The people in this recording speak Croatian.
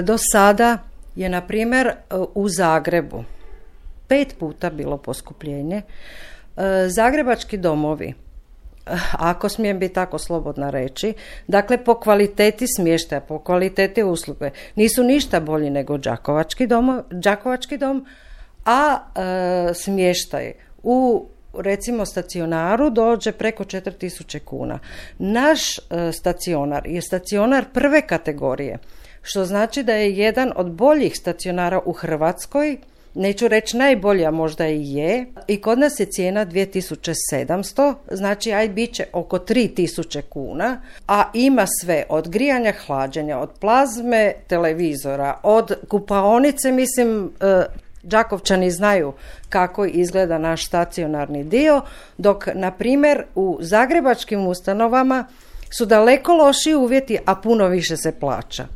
Do sada je, na primjer, u Zagrebu 5 puta bilo poskupljenje. Zagrebački domovi, ako smijem biti tako slobodna reći, dakle po kvaliteti smještaja, po kvaliteti usluge, nisu ništa bolji nego Đakovački dom, a smještaj u recimo stacionaru dođe preko 4.000 kuna. Naš stacionar je stacionar prve kategorije, što znači da je jedan od boljih stacionara u Hrvatskoj, neću reći najbolja, možda i je, i kod nas je cijena 2.700, znači bit će oko 3.000 kuna, a ima sve od grijanja, hlađenja, od plazme, televizora, od kupaonice, mislim, Đakovčani znaju kako izgleda naš stacionarni dio, dok, na primjer, u zagrebačkim ustanovama su daleko lošiji uvjeti, a puno više se plaća.